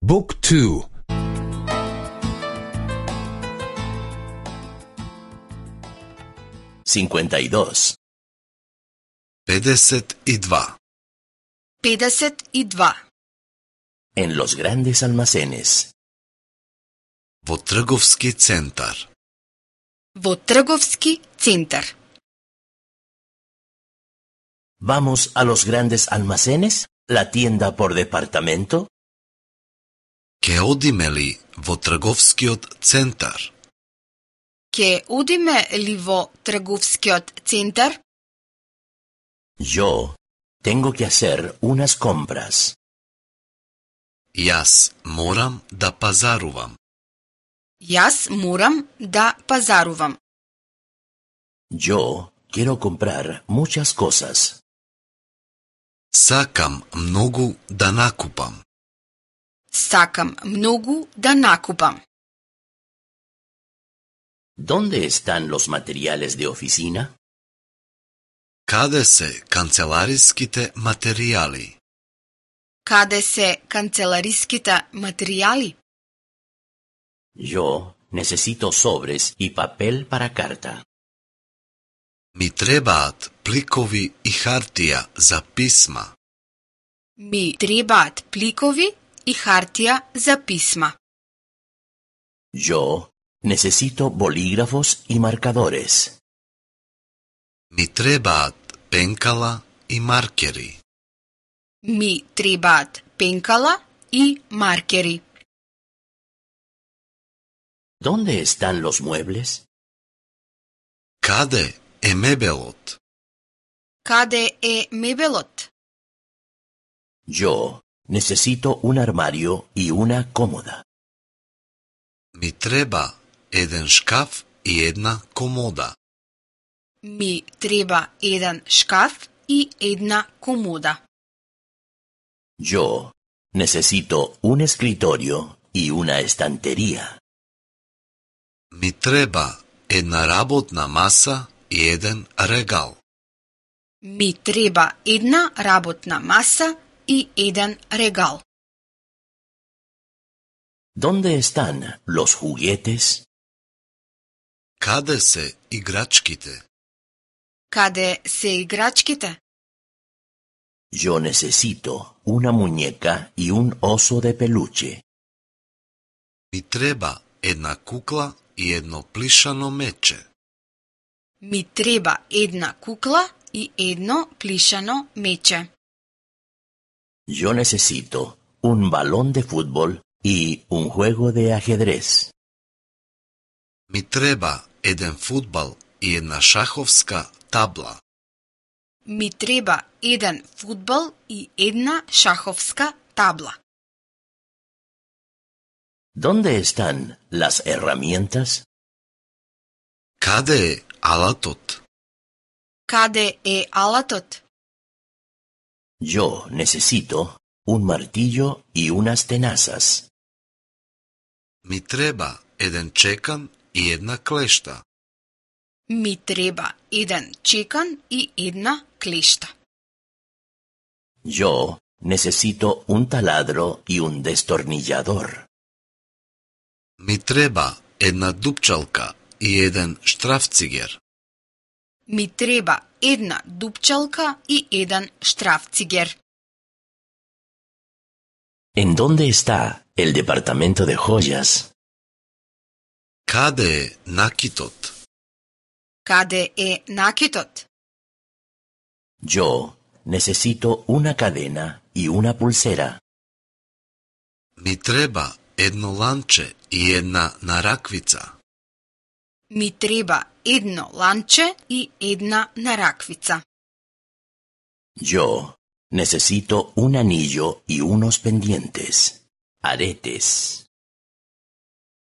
Book 2. 52. 52. 52. En los grandes almacenes. Во трговски центар. Во трговски центар. ¿Vamos a los grandes almacenes? ¿La tienda por departamento? Ке одиме ли во трговскиот центар? Ке одиме ли во трговскиот центар? Yo tengo que hacer unas compras. Јас морам да пазарувам. Јас морам да пазарувам. Yo quiero comprar muchas cosas. Сакам многу да накупам. Сакам многу да накупам. ¿Dónde están los materiales de oficina? Каде се канцелариските материјали? Каде се канцелариските материјали? Yo necesito sobres y papel para carta. Ми требаат пликови и хартија за писма. Ми требаат пликови и хартија за писма. Yo necesito bolígrafos y marcadores. Ми требаат пенкала и маркери. Ми требаат пенкала и маркери. ¿Dónde están los muebles? Каде е мебелот? Каде е мебелот? Yo necesito un armario y una cómoda. Ми треба еден шкаф и една комода. Ми треба еден шкаф и една комода. Yo necesito un escritorio y una estantería. Ми треба една работна маса и еден регал. Ми треба една работна маса и еден регал. ¿Dónde están los juguetes? Каде се играчките? Каде се играчките? Yo necesito una muñeca y un oso de peluche. Ми треба една кукла и едно плишано мече. Ми треба една кукла и едно плишано мече. Yo necesito un balón de fútbol y un juego de ajedrez. Ми треба еден фудбал и една шаховска табла. Ми треба еден фудбал и една шаховска табла. ¿Dónde están las herramientas? Каде е алатот? Каде е алатот? Yo necesito un martillo y unas tenazas. Ми треба еден чекан и една клешта. Ми треба еден чекан и една клешта. Yo necesito un taladro y un destornillador. Ми треба една дупчалка и еден штрафцигер. Ми треба една дупчалка и еден штрафцигер. ¿En dónde está el departamento de joyas? Каде е накитот? Каде е накитот? Yo necesito una cadena y una pulsera. Ми треба едно ланче и една нараквица. Ми треба едно ланче и една нараквица. Yo necesito un anillo y unos pendientes. Aretes.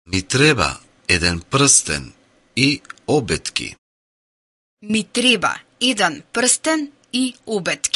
Ми треба еден прстен и обетки. Ми треба еден прстен и обетки.